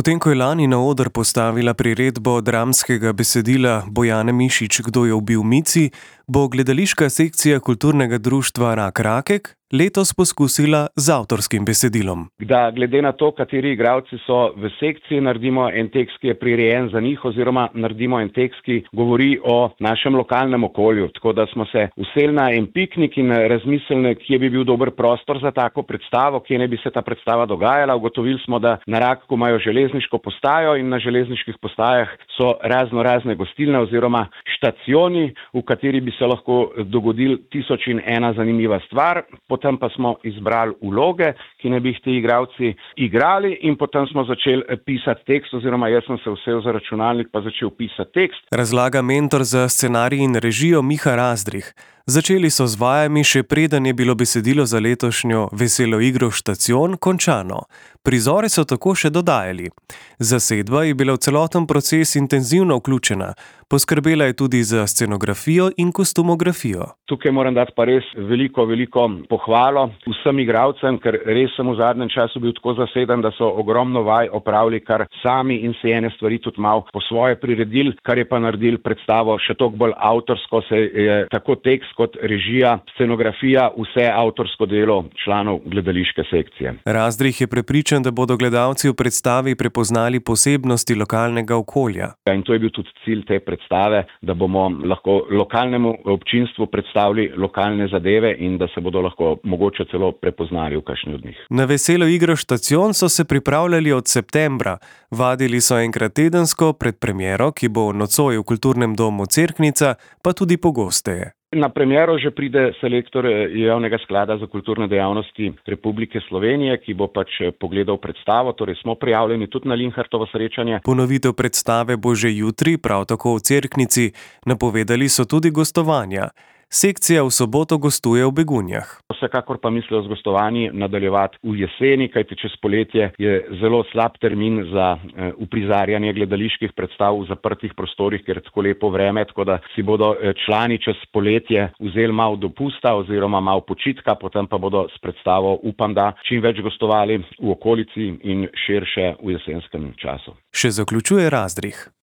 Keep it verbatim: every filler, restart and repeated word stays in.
Potem, ko je lani na oder postavila priredbo dramskega besedila Bojane Mišič Kdo je ubil Mici, bo gledališka sekcija kulturnega društva Rak Rakek letos poskusila z avtorskim besedilom. Da glede na to, kateri igralci so v sekciji, naredimo en tekst, ki je prirejen za njih, oziroma naredimo en tekst, ki govori o našem lokalnem okolju. Tako da smo se useli na en piknik in razmislili, kje bi bil dober prostor za tako predstavo, kje ne bi se ta predstava dogajala. Ugotovili smo, da na Rakku imajo železniško postajo in na železniških postajah so razno razne gostilne oziroma štacioni, v kateri bi se lahko dogodil tisoč in ena zanimiva stvar. Potem pa smo izbrali vloge, ki ne bi jih ti igralci igrali, in potem smo začeli pisati tekst, oziroma jaz sem se usedel za računalnik pa začel pisati tekst. Razlaga mentor za scenarij in režijo Miha Razdrih. Začeli so z vajami, še preden je bilo besedilo za letošnjo veselo igro Štacion končano. Prizore so tako še dodajali. Zasedba je bila v celoten proces intenzivno vključena. Poskrbela je tudi za scenografijo in kostumografijo. Tukaj moram dati pa res veliko, veliko pohvalo vsem igralcem, ker res sem v zadnjem času bil tako zaseden, da so ogromno vaj opravili kar sami in se ene stvari tudi malo po svoje priredili, kar je pa naredil predstavo še toliko bolj avtorsko, se je tako tekst kot režija, scenografija, vse avtorsko delo članov gledališke sekcije. Razdrih je prepričan, da bodo gledalci v predstavi prepoznali posebnosti lokalnega okolja. In to je bil tudi cilj te predstave, da bomo lahko lokalnemu občinstvu predstavili lokalne zadeve in da se bodo lahko mogoče celo prepoznali v kakšni od njih. Na veselo igro Štacion so se pripravljali od septembra. Vadili so enkrat tedensko pred premiero, ki bo nocoj v kulturnem domu Cerknica, pa tudi pogosteje. Na premiero že pride selektor Javnega sklada za kulturne dejavnosti Republike Slovenije, ki bo pač pogledal predstavo, torej smo prijavljeni tudi na Linhartovo srečanje. Ponovitev predstave bo že jutri, prav tako v Cerknici. Napovedali so tudi gostovanja. Sekcija v soboto gostuje v Begunjah. Vsekakor pa mislijo z gostovanji nadaljevati v jeseni, kajti čez poletje je zelo slab termin za uprizarjanje gledaliških predstav v zaprtih prostorih, ker je tako lepo vreme, tako da si bodo člani čez poletje vzeli malo dopusta oziroma malo počitka, potem pa bodo s predstavo, upam da, čim več gostovali v okolici in širše v jesenskem času. Še zaključuje Razdrih.